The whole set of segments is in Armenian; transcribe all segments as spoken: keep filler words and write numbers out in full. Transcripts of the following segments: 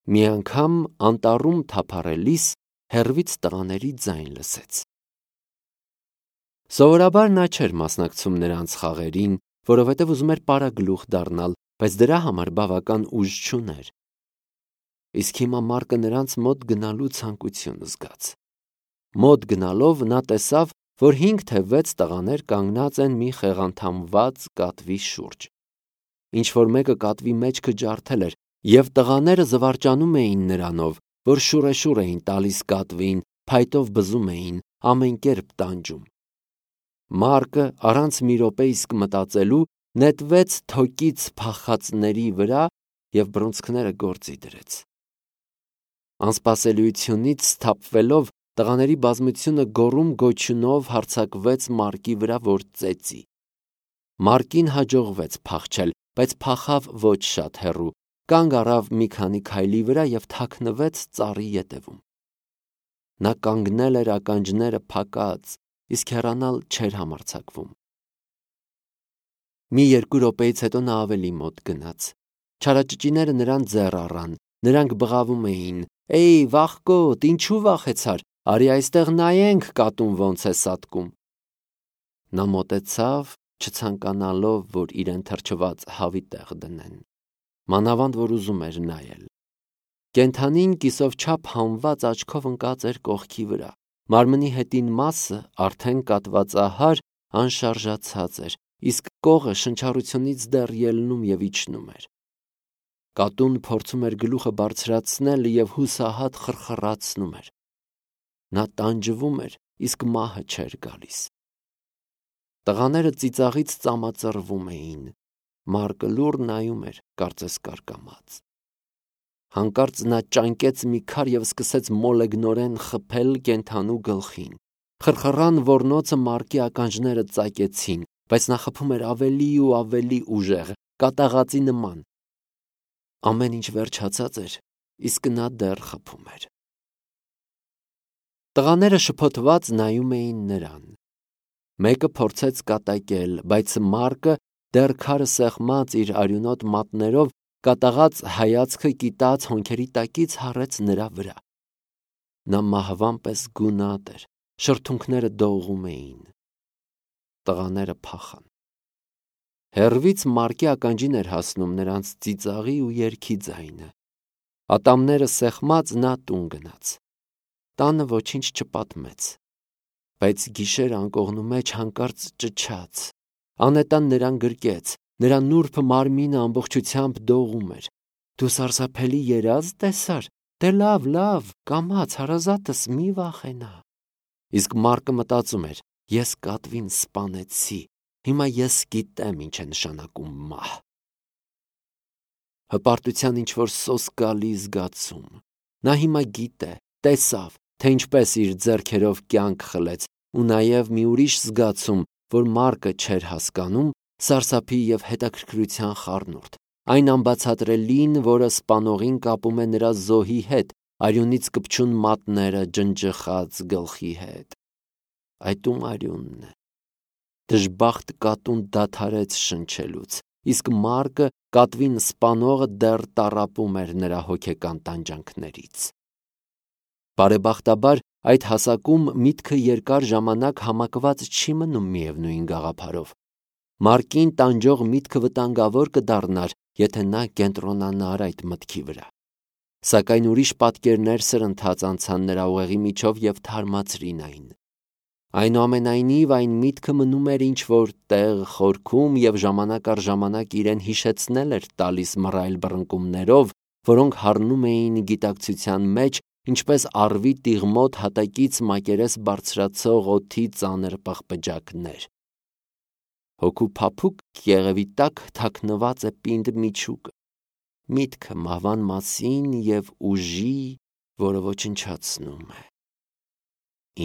Մի անգամ անտառում թափառելիս հեռվից տղաների ձայն լսեց։ Սովորաբար նա չէր մասնակցում նրանց խաղերին, որովհետև ուզում էր պարագլուխ դառնալ, բայց դրա համար բավական ուժ չուներ։ Իսկ հիմա Մարկը նրանց մոտ գնալու ցանկություն զգաց։ Մոտ գնալով նա տեսավ, որ հինգ թե վեց տղաներ կանգնած են մի խեղաթամված կատվի շուրջ։ Ինչ-որ մեկը կատվի մեջքը ջարդել էր, և տղաները զվարճանում էին նրանով, որ շուրեշուր էին տալիս կատվին, փայտով բզում էին, ամեն կերպ տանջում։ Մարկը առանց մի րոպե իսկ մտածելու նետվեց թոկից փախածների վրա և բռունցքները գործի դրեց։ Անսպասելիությունից սթափվելով տղաների բազմությունը գոռում-գոչյունով հարձակվեց Մարկի վրա, որ ծեծի։ Մարկին հաջողվեց փախչել, բայց փախավ ոչ շատ հեռու, կանգ առավ մի քանի քայլի վրա և թաքնվեց ծառի ետևում։ Նա կանգնել էր ականջները փակած, իսկ հեռանալ չէր համարձակվում։ Մի երկու րոպեից հետո նա ավելի մոտ գնաց։ Չարաճճիները նրան ձեռ առան, նրանք բղավում էին. «Էյ, վախկոտ, ինչու վախեցար, արի այստեղ նայենք կատուն ոնց է սատկում»։ Նա մոտեցավ, չցանկանալով, որ իրեն թրջված հավի տեղ դնեն, մանավանդ որ ուզում էր նայել։ Կենդանին կիսով չափ հանված աչքով ընկած էր կողքի վրա։ Մարմնի հետին մասը, արդեն կատվածահար, անշարժացած էր, իսկ կողը շնչառությունից դեռ ելնում և իջնում էր։ Կատուն փորձում էր գլուխը բարձրացնել և հուսահատ խռխռացնում էր։ Նա տանջվում էր, իսկ մահը չէր գալիս։ Տղաները ծիծաղից ծամածռվում էին։ Մարկը լուռ նայում էր, կարծես կարկամած։ Հանկարծ նա ճանկեց մի քար և սկսեց մոլեգնորեն խփել կենդանու գլխին։ Խռխռան ոռնոցը Մարկի ականջները ծակեցին, բայց նա խփում էր ավելի ու ավելի ուժեղ, կատաղածի նման։ Ամեն ինչ վերջացած էր, իսկ նա դեռ խփում էր։ Տղաները շփոթված նայում էին նրան։ Մեկը փորձեց կատակել, բայց Մարկը, դեռ քարը սեղմած իր արյունոտ մատներով, կատաղած հայացքը կիտած հոնքերի տակից հառեց նրա վրա։ Նա մահվան պես գունատ էր, շրթունքները դողում էին։ Տղաները փախան։ Հեռվից Մարկի ականջին էր հասնում նրանց ծիծաղի ու երգի ձայնը։ Ատամները սեղմած նա տուն գնաց։ Տանը ոչինչ չպատմեց։ Բայց գիշեր անկողնու մեջ հանկարծ ճչաց։ Անետան նրան գրկեց, նրա նուրբ մարմինը ամբողջությամբ դողում էր։ Դու սարսափելի երազ տեսար, դե լավ, լավ, կամաց հարազատս մի վախենա։ Իսկ Մարկը մտածում էր. ես կատվին սպանեցի, հիմա ես գիտեմ ինչ է նշանակում մահ։ Հպարտության ինչ-որ սոսկալի զգացում։ Նա հիմա գիտե, տեսավ, թե ինչպես իր ձեռքերով կյանք խլեց, ու նաև մի ուրիշ զգացում, որ Մարկը չէր հասկանում, սարսափի և հետաքրքրության խառնուրդ, այն անբացատրելին, որը սպանողին կապում է նրա զոհի հետ, արյունից կպչուն մատները ջնջխած գլխի հետ։ Այդ ում արյունն է։ Դժբախտ կատուն դադարեց շնչելուց, իսկ Մարկը, կատվին սպանողը, դեռ տառապում էր նրա հոգեկան տանջանքներից։ Բարեբախտաբար, այդ հասակում միտքը երկար ժամանակ համակված չի մնում միևնույն գաղափարով։ Մարկին տանջող միտքը վտանգավոր կդառնար, եթե նա կենտրոնանար այդ մտքի վրա։ Սակայն ուրիշ պատկերներ սրընթաց անցան նրա ուղեղի միջով և թարմացրին այն։ Այնուամենայնիվ, այն միտքը մնում էր ինչ-որ տեղ խորքում և ժամանակ առ ժամանակ իրեն հիշեցնել էր տալիս մռայլ բռնկումներով, որոնք հառնում էին գիտակցության մեջ, ինչպես առվի տիղմոտ հատակից մակերես բարձրացող օդի ծանր պղպջակներ։ Հոգու փափուկ եղևի տակ թաքնված է պինդ միջուկը, միտքը մահվան մասին և ուժի, որը ոչնչացնում է։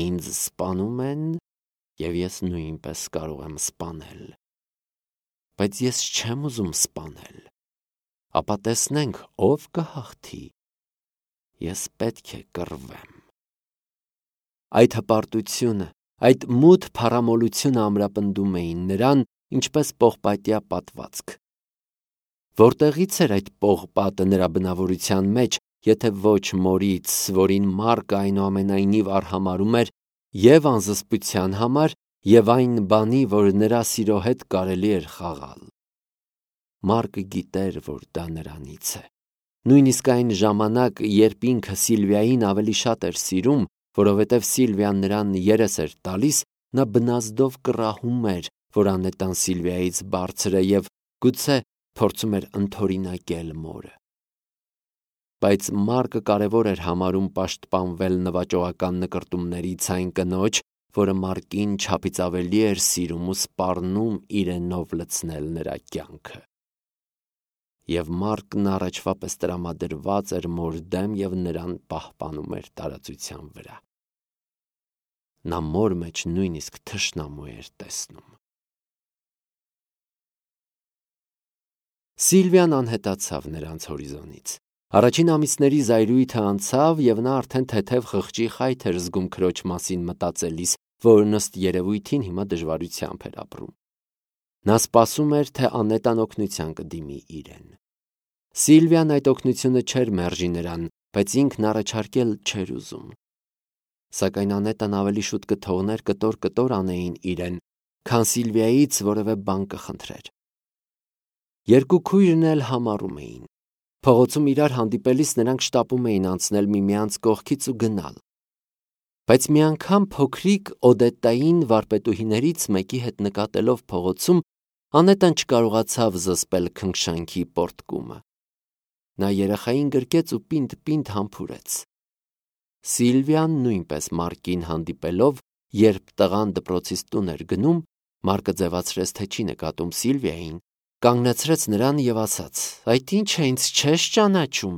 Ինձ սպանում են, և ես նույնպես կարող եմ սպանել։ Բայց ես չեմ ուզում սպանել։ Ապա տեսնենք, ով կհաղթի։ Ես պետք է կռվեմ։ Այդ հպարտությունը, այդ մութ փառամոլությունը ամրապնդում էին նրան, ինչպես պողպատյա պատվածք։ Որտեղից էր այդ պողպատը նրա բնավորության մեջ, եթե ոչ մորից, որին Մարկը այնուամենայնիվ արհամարհում էր և անզսպության համար, և այն բանի, որ նրա սիրո հետ կարելի էր խաղալ։ Մարկը գիտեր, որ դա նրանից է։ Նույնիսկ այն ժամանակ, երբ ինքը Սիլվիային ավելի շատ էր սիրում, որովհետև Սիլվիան նրան երես էր տալիս, նա բնազդով կռահում էր, որ անետան Սիլվիայից բարձր է և գուցե փորձում էր ընդօրինակել մորը։ Բայց Մարկը կարևոր էր համարում պաշտպանվել նվաճողական նկրտումներից այն կնոջ, որը Մարկին չափից ավելի էր սիրում ու սպառնում իրենով լցնել նրա կյանքը։ Եվ Մարկն առաջվա պես տրամադրված էր մոր դեմ և նրան պահպանում էր տարածության վրա։ Նա մոր մեջ նույնիսկ թշնամու էր տեսնում։ Սիլվիան անհետացավ նրանց հորիզոնից։ Առաջին ամիսների զայրույթը անցավ, և նա արդեն թեթև խղճի խայթ էր զգում քրոջ մասին մտածելիս, որն ըստ երևույթին հիմա դժվարությամբ էր ապրում։ Նա սպասում էր, թե Անետան օգնության կդիմի իրեն։ Սիլվիան այդ օգնությունը չէր մերժի նրան, բայց ինքն առաջարկել չէր ուզում։ Սակայն Անետան ավելի շուտ կթողներ կտոր-կտոր անեին իրեն, քան Սիլվիայից որևէ բան կխնդրեր։ Երկու քույրն էլ համառում էին։ Փողոցում իրար հանդիպելիս նրանք շտապում էին անցնել միմյանց կողքից ու գնալ։ Բայց մի անգամ փոքրիկ Օդետային վարպետուհիներից մեկի հետ նկատելով փողոցում, Անետան չկարողացավ զսպել քնքշանքի պոռթկումը։ Նա երեխային գրկեց ու պինդ-պինդ համբուրեց։ Սիլվիան նույնպես Մարկին հանդիպելով, երբ տղան դպրոցից տուն էր գնում, Մարկը ձևացրեց, թե չի նկատում Սիլվիային, կանգնեցրեց նրան և ասաց. «Այդ ի՞նչ է, ինձ չես ճանաչում»։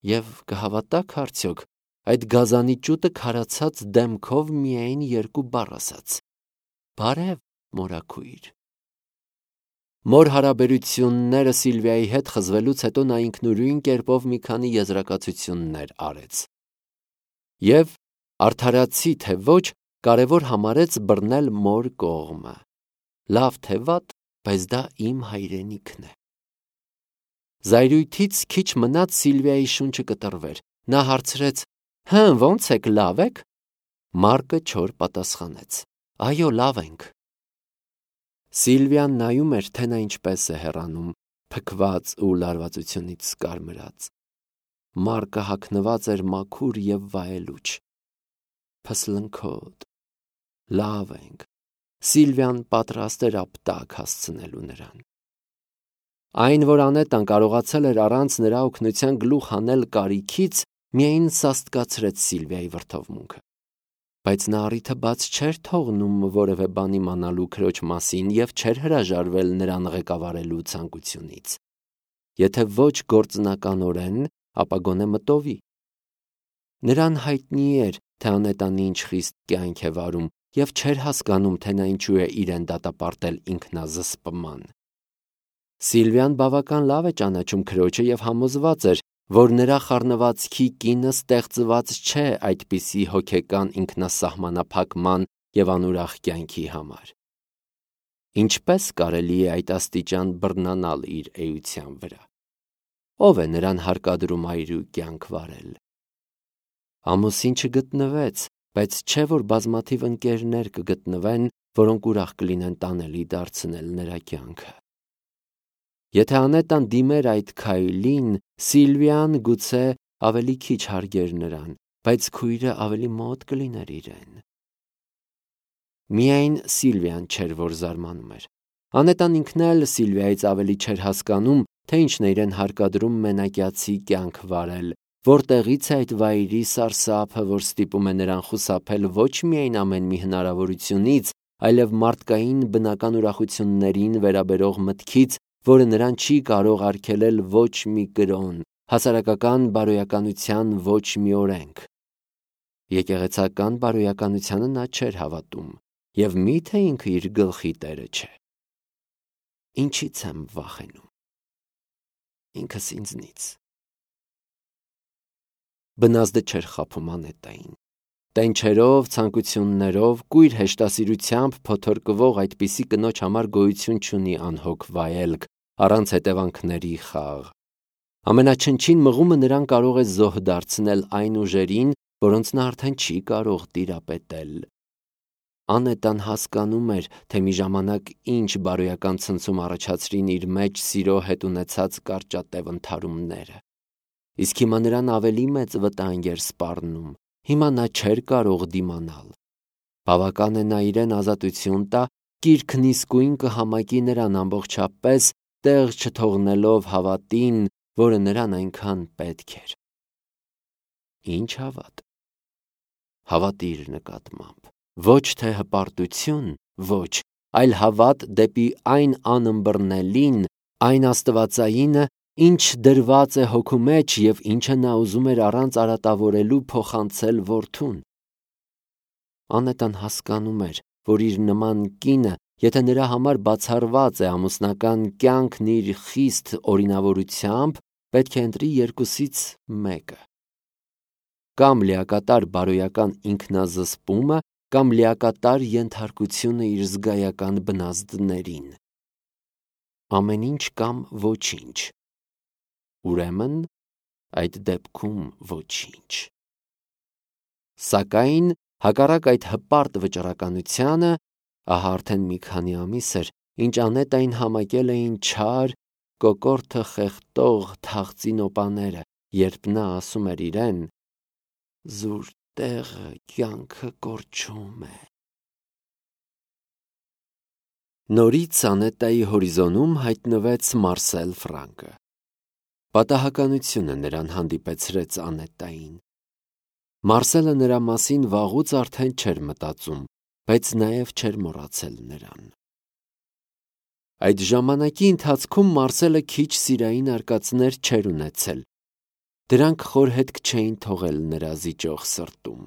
Եվ կհավատաք արդյոք, այդ գազանի ճուտը քարացած դեմքով միայն երկու բառ ասաց. «Բարև, մորաքույր»։ Մոր հարաբերությունները Սիլվիայի հետ խզվելուց հետո նա ինքնուրույն կերպով մի քանի եզրակացություններ արեց։ Եվ արդարացի թե ոչ, կարևոր համարեց բռնել մոր կողմը։ Լավ թե վատ, բայց դա իմ հայրենիքն է։ Զայրույթից քիչ մնաց Սիլվիայի շունչը կտրվեր։ Նա հարցրեց. «Հը, ո՞նց եք, լավ եք»։ Մարկը չոր պատասխանեց. «Այո, լավ ենք»։ Սիլվիան նայում էր, թե նա ինչպես է հեռանում, փքված ու լարվածությունից կարմրած։ Մարկը հագնված էր մաքուր և վայելուչ։ Փսլնքոտ։ Լավ ենք։ Սիլվիան պատրաստ էր ապտակ հասցնելու նրան։ Այն, որ Անետան կարողացել էր առանց նրա օգնության գլուխ հանել կարիքից, միայն սաստկացրեց Սիլվիայի վրդովմունքը։ Բայց նա առիթը բաց չէր թողնում որևէ բան իմանալու քրոջ մասին և չէր հրաժարվել նրան ղեկավարելու ցանկությունից։ Եթե ոչ գործնականորեն, ապա գոնե մտովի։ Նրան հայտնի էր, թե Անետան ինչ խիստ կյանք է վարում, և չէր հասկանում, թե նա ինչու է իրեն դատապարտել ինքնազսպման։ Սիլվիան բավական լավ է ճանաչում քրոջը և համոզված էր, որ նրա խառնվածքի կինը ստեղծված չէ այդպիսի հոգեկան ինքնասահմանափակման և անուրախ կյանքի համար։ Ինչպե՞ս կարելի է այդ աստիճան բռնանալ իր էության վրա։ Ո՞վ է նրան հարկադրում այրու կյանք վարել։ Ամուսին չգտնվեց, բայց չէ՞ որ բազմաթիվ ընկերներ կգտնվեն, որոնք ուրախ կլինեն տանելի դարձնել նրա կյանքը։ Եթե Անետան դիմեր այդ քայլին, Սիլվիան գուցե ավելի քիչ հարգեր նրան, բայց քույրը ավելի մոտ կլիներ իրեն։ Միայն Սիլվիան չէր, որ զարմանում էր։ Անետան ինքն էլ Սիլվիայից ավելի չէր հասկանում, թե ինչն է իրեն հարկադրում մենակյացի կյանք վարել, որտեղից է այդ վայրի սարսափը, որ ստիպում է նրան խուսափել ոչ միայն ամեն մի հնարավորությունից, այլև մարդկային բնական ուրախություններին վերաբերող մտքից, որը նրան չի կարող արգելել ոչ մի կրոն, հասարակական բարոյականության ոչ մի օրենք։ Եկեղեցական բարոյականությանը նա չէր հավատում, և մի՞թե ինքը իր գլխի տերը չէ։ Ինչի՞ց եմ վախենում։ Ինքս ինձնից։ Բնազդը չէր խաբում Անետային։ Տենչերով, ցանկություններով, կույր հեշտասիրությամբ փոթորկվող այդպիսի կնոջ համար գոյություն չունի անհոգ վայելք, առանց հետևանքների խաղ։ Ամենաչնչին մղումը նրան կարող է զոհ դարձնել այն ուժերին, որոնց նա արդեն չի կարող տիրապետել։ Անետան հասկանում էր, թե մի ժամանակ ինչ բարոյական ցնցում առաջացրին իր մեջ սիրո հետ ունեցած կարճատև ընդհարումները։ Իսկ հիմա նրան ավելի մեծ վտանգ էր սպառնում, հիմա նա չէր կարող դիմանալ։ Բավական է նա իրեն ազատություն տա, կիրքն իսկույն կհամակի նրան ամբողջապես, տեղ չթողնելով հավատին, որը նրան այնքան պետք էր։ Ինչ հավատ։ Հավատ իր նկատմամբ, ոչ թե հպարտություն, ոչ, այլ հավատ դեպի այն անըմբռնելին, այն աստվածայինը, ինչ դրված է հոգու մեջ և ինչը նա ուզում էր առանց արատավորելու փոխանցել որդուն։ Անետան հասկանում էր, որ իր նման կինը, եթե նրա համար բացառված է ամուսնական կյանքն իր խիստ օրինավորությամբ, պետք է ընտրի երկուսից մեկը։ Կամ լիակատար բարոյական ինքնազսպումը, կամ լիակատար ենթարկությունը իր զգայական բնազդներին։ Ամեն ինչ կամ ոչինչ։ Ուրեմն, այդ դեպքում ոչինչ։ Սակայն, հակառակ այդ հպարտ վճռականությանը, ահա արդեն մի քանի ամիս էր, ինչ Անետային համակել էին չար, կոկորդը խեղդող թախծի նոպաները, երբ նա ասում էր իրեն. «Զուր տեղը կյանքը կորչում է»։ Նորից Անետայի հորիզոնում հայտնվեց Մարսել Ֆրանկը։ Պատահականությունը նրան հանդիպեցրեց Անետային։ Մարսելը նրա մասին վաղուց արդեն չէր մտածում, բայց նաև չէր մոռացել նրան։ Այդ ժամանակի ընթացքում Մարսելը քիչ սիրային արկածներ չէր ունեցել։ Դրանք խոր հետք չէին թողել նրա զիջող սրտում։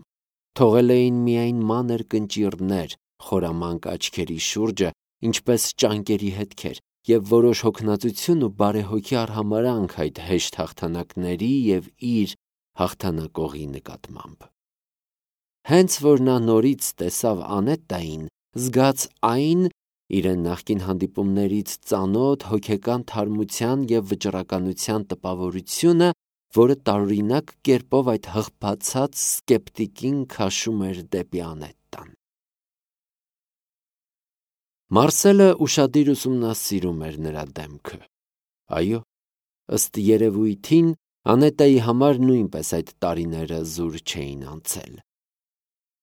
Թողել էին միայն մանր կնճիռներ խորամանկ աչքերի շուրջը, ինչպես ճանկերի հետքեր, և որոշ հոգնածություն ու բարեհոգի արհամարհանք այդ հեշտ հաղթանակների և իր հաղթանակողի նկատմամբ։ Հենց որ նա նորից տեսավ Անետային, զգաց այն իրեն նախկին հանդիպումներից ծանոթ հոգեկան թարմության և վճռականության տպավորությունը, որը տարօրինակ կերպով այդ հղբացած սկեպտիկին քաշում էր դեպի Անետտան։ Մարսելը ուշադիր ուսումնասիրում էր նրա դեմքը։ Այո, ըստ երևույթին, Անետայի համար նույնպես այդ տարիները զուր չէին անցել։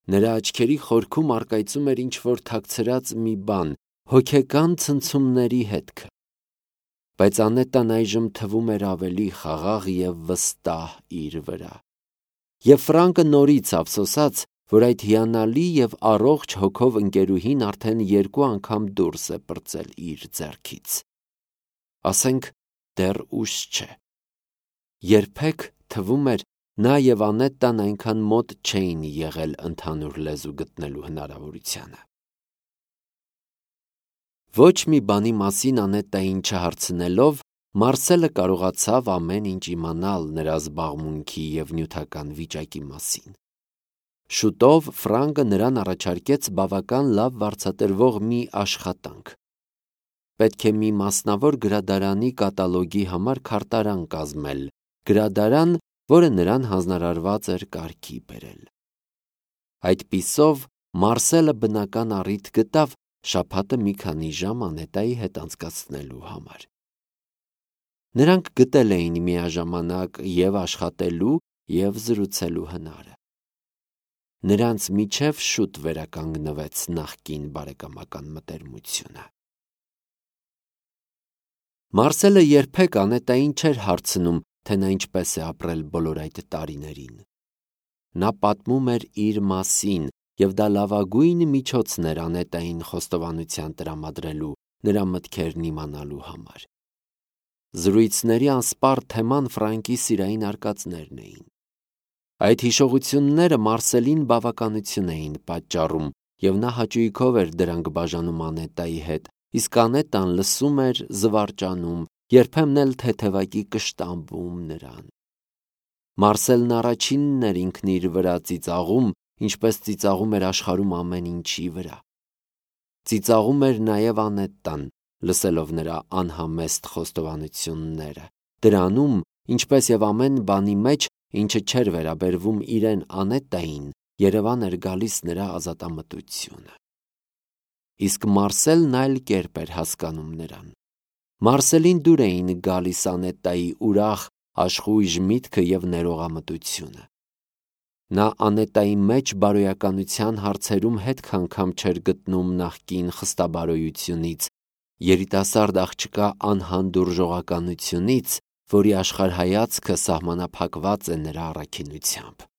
Նրա աչքերի խորքում առկայծում էր ինչ-որ թաքցրած մի բան, հոգեկան ցնցումների հետքը։ Բայց Անետան այժմ թվում էր ավելի խաղաղ և վստահ իր վրա։ Եվ Ֆրանկը նորից ափսոսաց, որ այդ հիանալի և առողջ հոգով ընկերուհին արդեն երկու անգամ դուրս է պրծել իր ձեռքից։ Ասենք, դեռ ուշ չէ։ Երբեք, թվում էր, նա և Անետան այնքան մոտ չէին եղել ընդհանուր լեզու գտնելու հնարավորությանը։ Ոչ մի բանի մասին Անետային չհարցնելով, Մարսելը կարողացավ ամեն ինչ իմանալ նրա զբաղմունքի և նյութական վիճակի մասին։ Շուտով Ֆրանկը նրան առաջարկեց բավական լավ վարձատրվող մի աշխատանք։ Պետք է մի մասնավոր գրադարանի կատալոգի համար քարտարան կազմել, գրադարան, որը նրան հանձնարարված էր կարգի բերել։ Այդպիսով Մարսելը բնական առիթ գտավ շաբաթը մի քանի ժամ Անետայի հետ անցկացնելու համար։ Նրանք գտել էին միաժամանակ և աշխատելու, և զրուցելու հնարը։ Նրանց միջև շուտ վերականգնվեց նախկին բարեկամական մտերմությունը։ Մարսելը երբեք Անետային չէր հարցնում, թե նա ինչպես է ապրել բոլոր այդ տարիներին։ Նա պատմում էր իր մասին, և դա լավագույն միջոցն էր Անետային խոստովանության տրամադրելու, նրա մտքերն իմանալու համար։ Զրույցների անսպառ թեման Ֆրանկի սիրային արկածներն էին։ Այդ հիշողությունները Մարսելին բավականություն էին պատճառում, և նա հաճույքով էր դրանք բաժանում Անետայի հետ, իսկ Անետան լսում էր, զվարճանում, երբեմն էլ թեթևակի կշտամբում նրան։ Մարսելն առաջինն էր ինքն իր վրա ծիծաղում, ինչպես ծիծաղում էր աշխարհում ամեն ինչի վրա։ Ծիծաղում էր նաև Անետան, լսելով նրա անհամեստ խոստովանությունները, դրանում, Ինչպես եւ ամեն բանի մեջ, ինչը չէր վերաբերվում իրեն Անետային, Երևան էր գալիս նրա ազատամտությունը։ Իսկ Մարսելն այլ կերպ էր հասկանում նրան։ Մարսելին դուր էին գալիս Անետայի ուրախ, աշխույժ միտքը եւ ներողամտությունը։ Նա Անետայի մեջ բարոյականության հարցերում հետ քանքամ չէր գտնում նախկին խստաբարոյությունից, երիտասարդ աղջկա անհանդուրժողականությունից, որի աշխարհայացքը սահմանափակված է նրա առաքինությամբ։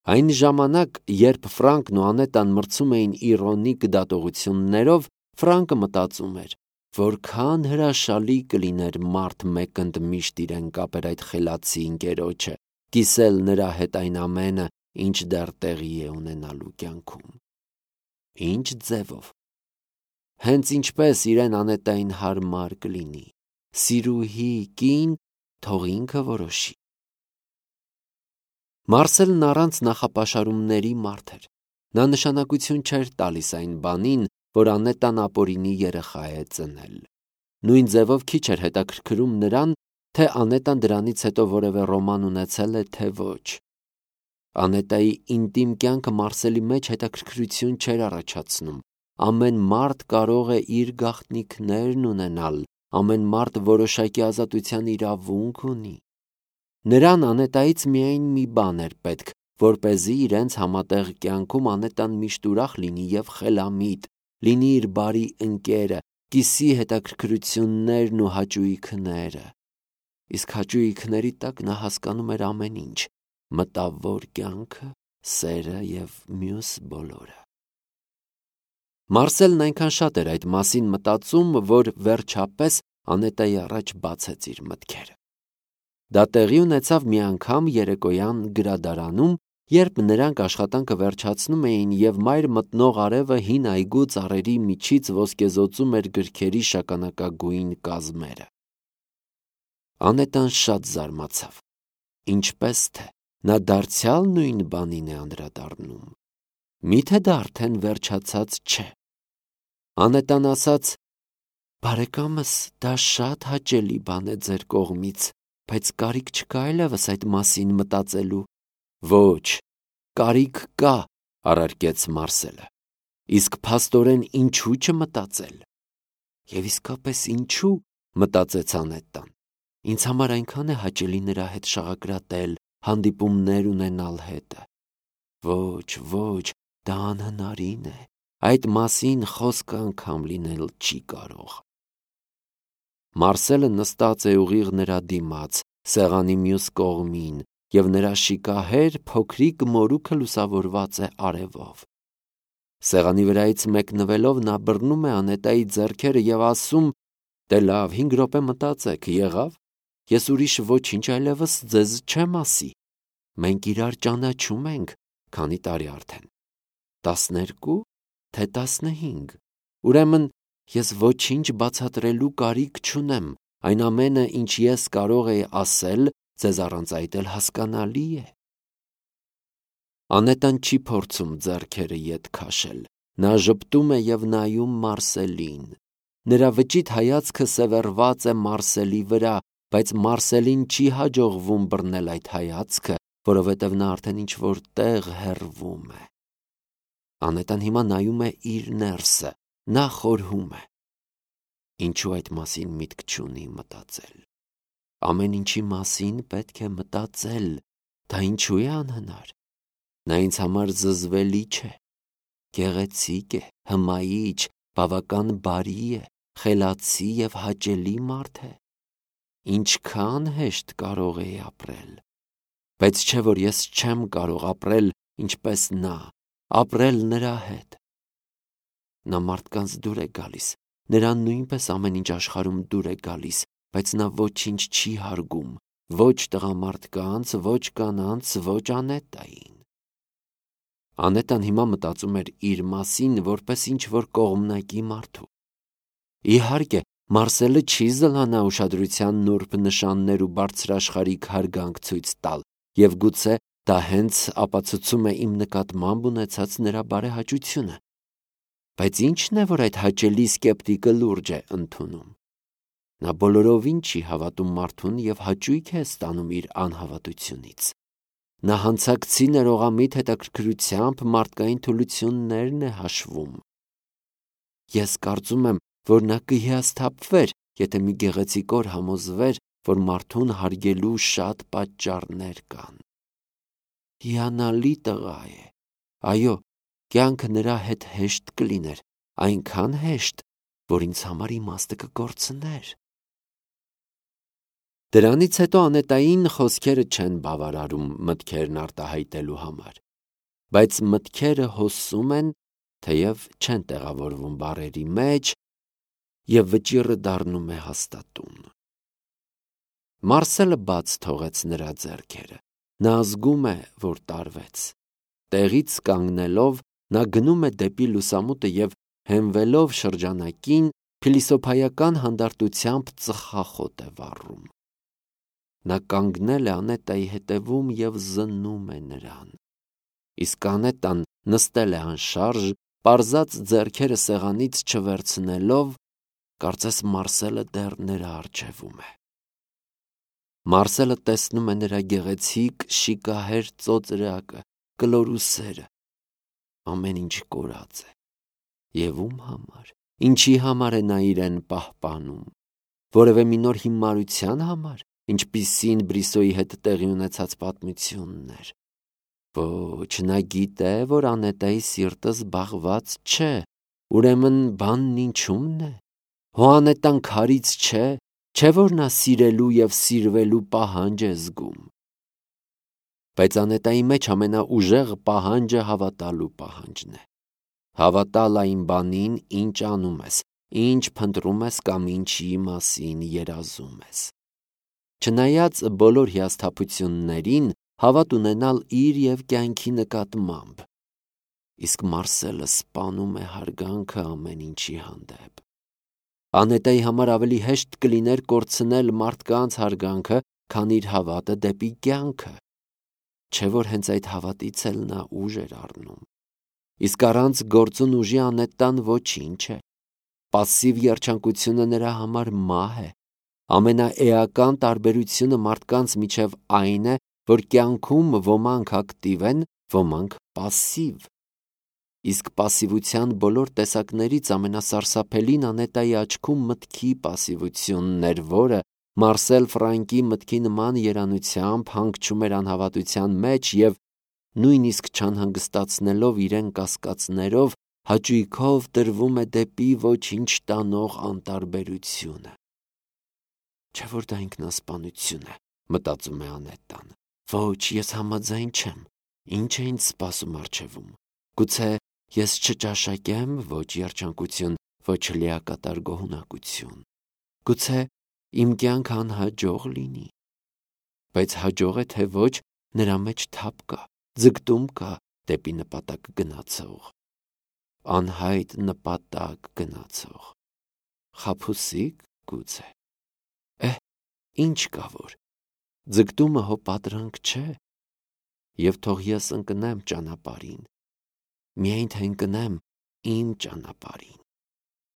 Այն ժամանակ, երբ Ֆրանկն ու Անետան մրցում էին իրոնիկ դատողություններով, Ֆրանկը մտածում էր, որքան հրաշալի կլիներ մարդ մեկընդ միշտ իրեն կապեր այդ խելացի ընկերոջը, կիսել նրա հետ այն ամենը, ինչ դեռ տեղի է ունենալու կյանքում։ Ինչ ձևով։ Հենց ինչպես իրեն Անետային հարմար կլինի, սիրուհի կին, թող ինքը որոշի։ Մարսելն առանց նախապաշարումների մարդ էր։ Նա նշանակություն չէր տալիս այն բանին, որ Անետան ապօրինի երեխա է ծնել։ Նույն ձևով քիչ էր հետաքրքրում նրան, թե Անետան դրանից հետո որևէ ռոման ունեցել է, թե ոչ։ Անետայի ինտիմ կյանքը Մարսելի մեջ հետաքրքրություն չէր առաջացնում։ Ամեն մարդ կարող է իր գաղտնիքներն ունենալ, ամեն մարդ որոշակի ազատության իրավունք ունի։ Նրան Անետայից միայն մի բան էր պետք, որպեսզի իրենց համատեղ կյանքում Անետան միշտ ուրախ լինի եւ խելամիտ, լինի իր բարի ընկերը, կիսի հետաքրքրություններն ու հաճույքները։ Իսկ հաճույքների տակ նա հասկանում էր ամեն ինչ՝ մտավոր կյանքը, սերը եւ մյուս բոլորը։ Մարսելն այնքան շատ էր այդ մասին մտածում, որ վերջապես Անետայի առաջ բացեց իր մտքերը։ Դա տեղի ունեցավ մի անգամ երեկոյան գրադարանում, երբ նրանք աշխատանքը վերջացնում էին եւ մայր մտնող արևը հին այգու ծառերի միջից ոսկեզօծում էր գրքերի շագանակագույն կազմերը։ Անետան շատ զարմացավ։ Ինչպես թե նա դարձյալ նույն բանին է անդրադառնում։ Միթե դա արդեն վերջացած չէ։ Անետան ասաց. «Բարեկամս, դա շատ հաճելի բան է ձեր կողմից, բայց կարիք չկա այլևս այդ մասին մտածելու»։ Ոչ, կարիք կա, առարկեց Մարսելը։ Իսկ փաստորեն ինչու չմտածել։ Եվ իսկապես ինչու, մտածեց Անետան։ Ինձ համար այնքան է հաճելի նրա հետ շաղակրատել, հանդիպումներ ունենալ հետը։ Ոչ, ոչ, դա անհնարին է։ Այդ մասին խոսք անգամ լինել չի կարող։ Մարսելը նստած է ուղիղ նրա դիմաց, սեղանի մյուս կողմին, եւ նրա շիկահեր փոքրիկ մորուքը լուսավորված է արևով։ Սեղանի վրայից մեկնվելով նա բռնում է Անետայի ձեռքերը եւ ասում. «Դե լավ, հինգ րոպե մտածեք, եղավ։ Ես ուրիշ ոչինչ այլևս ձեզ չեմ ասի։ Մենք իրար ճանաչում ենք, քանի տարի արդեն։ Տասներկու, թե տասնհինգ։ Ուրեմն ես ոչինչ բացատրելու կարիք չունեմ, այն ամենը, ինչ ես կարող էի ասել, ձեզ առանց այդ էլ հասկանալի է»։ Անետան չի փորձում ձեռքերը ետ քաշել։ Նա ժպտում է եւ նայում Մարսելին։ Նրա վճիտ հայացքը սևեռված է Մարսելի վրա, բայց Մարսելին չի հաջողվում բռնել այդ հայացքը, որովհետև նա արդեն ինչ-որ տեղ հեռվում է։ Անետան հիմա նայում է իր ներսը, նա խորհում է։ Ինչու այդ մասին միտք չունի մտածել։ Ամեն ինչի մասին պետք է մտածել, դա ինչու է անհնար։ Նա ինձ համար զզվելի չէ, գեղեցիկ է, հմայիչ, բավական բարի է, խելացի եւ հաճելի մարդ է։ Ինչքան հեշտ կարող էի ապրել։ Բայց չէ որ ես չեմ կարող ապրել ինչպես նա, ապրել նրա հետ։ Նա մարդկանց դուր է գալիս, նրան նույնպես ամեն ինչ աշխարհում դուր է գալիս, բայց նա ոչինչ չի հարգում, ոչ տղամարդկանց, ոչ կանանց, ոչ Անետային։ Անետան հիմա մտածում էր իր մասին, որպես ինչ-որ կողմնակի մարդու։ Իհարկե, Մարսելը չի զլանա ուշադրության նուրբ նշաններ ու բարձրաշխարհիկ հարգանք ցույց տալ, եւ գուցե դա հենց ապացուցում է իմ նկատմամբ ունեցած նրա բարեհաճությունը։ Բայց ի՞նչն է, որ այդ հաճելի սկեպտիկը լուրջ է ընդունում։ Նա բոլորովին չի հավատում մարդուն և հաճույք է ստանում իր անհավատությունից։ Նա հանցակցի ներողամիտ հետաքրքրությամբ մարդկային թուլություններն է հաշվում։ Ես կարծում եմ, որ նա կհիասթափվեր, եթե մի գեղեցիկ օր համոզվեր, որ մարդուն հարգելու շատ պատճառներ կան։ Հիանալի տղա է։ Այո, կյանքը նրա հետ հեշտ կլիներ, այնքան հեշտ, որ ինձ համար իմաստը կկորցներ։ Դրանից հետո Անետային խոսքերը չեն բավարարում մտքերն արտահայտելու համար, բայց մտքերը հոսում են, թեև չեն տեղավորվում բառերի մեջ, և վճիռը դառնում է հաստատուն։ Մարսելը բաց թողեց նրա ձեռքերը։ Նա զգում է, որ տարվեց։ Տեղից կանգնելով, նա գնում է դեպի լուսամուտը և հենվելով շրջանակին, փիլիսոփայական հանդարտությամբ ծխախոտ է վառում։ Նա կանգնել է Անետայի հետևում և զննում է նրան։ Իսկ Անետան նստել է անշարժ, պարզած ձեռքերը սեղանից չվերցնելով, կարծես Մարսելը դեռ նրա առջևում է։ Մարսելը տեսնում է նրա գեղեցիկ, շիկահեր ծոծրակը, կլոր ուսերը։ Ամեն ինչ կորած է։ Եվ ում համար, ինչի համար է նա իրեն պահպանում։ Որևէ մի նոր հիմարության համար, ինչպիսին Բրիսոյի հետ տեղի ունեցած պատմությունն էր։ Ոչ, նա գիտե, որ Անետայի սիրտը զբաղված չէ, ուրեմն բանն ինչու՞մն է։ Հո Անետան քարից չէ, չէ՞ որ նա սիրելու և սիրվելու պահանջ է զգում։ Բայց Անետայի մեջ ամենաուժեղ պահանջը հավատալու պահանջն է։ Հավատալ այն բանին, ինչ անում ես, ինչ փնտրում ես կամ ինչի մասին երազում ես։ Չնայած բոլոր հիասթափություններին, հավատ ունենալ իր և կյանքի նկատմամբ։ Իսկ Մարսելը սպանում է հարգանքը ամեն ինչի հանդեպ։ Անետայի համար ավելի հեշտ կլիներ կորցնել մարդկանց հարգանքը, քան իր հավատը դեպի կյանքը։ Չէ՞ որ հենց այդ հավատից էլ նա ուժ էր առնում։ Իսկ առանց գործուն ուժի Անետան ոչինչ է։ Պասիվ երջանկությունը նրա համար մահ է։ Ամենաէական տարբերությունը մարդկանց միջև այն է, որ կյանքում ոմանք ակտիվ են, ոմանք պասիվ։ Իսկ պասիվության բոլոր տեսակներից ամենասարսափելին Անետայի աչքում մտքի պասիվությունն էր, որը Մարսել Ֆրանկի մտքի նման երանությամբ հանգչում էր անհավատության մեջ և նույնիսկ չանհանգստացնելով իրեն կասկածներով, հաճույքով տրվում է դեպի ոչինչ տանող անտարբերությունը։ Չէ՞ որ դա ինքնասպանություն է, մտածում է Անետան։ Ոչ, ես համաձայն չեմ։ Ինչ է ինձ սպասում առջևում։ Գուցե ես չճաշակեմ ոչ երջանկություն, ոչ լիակատար գոհունակություն։ Գուցե իմ կյանքը անհաջող լինի։ Բայց հաջող է թե ոչ, նրա մեջ թափ կա, ձգտում կա դեպի նպատակ գնացող։ Անհայտ նպատակ գնացող։ Խաբուսիկ գուցե։ Էհ, ինչ կա որ։ Ձգտումը հո պատրանք չէ։ Եվ թող ես ընկնեմ ճանապարհին։ Միայն թե ընկնեմ իմ ճանապարհին։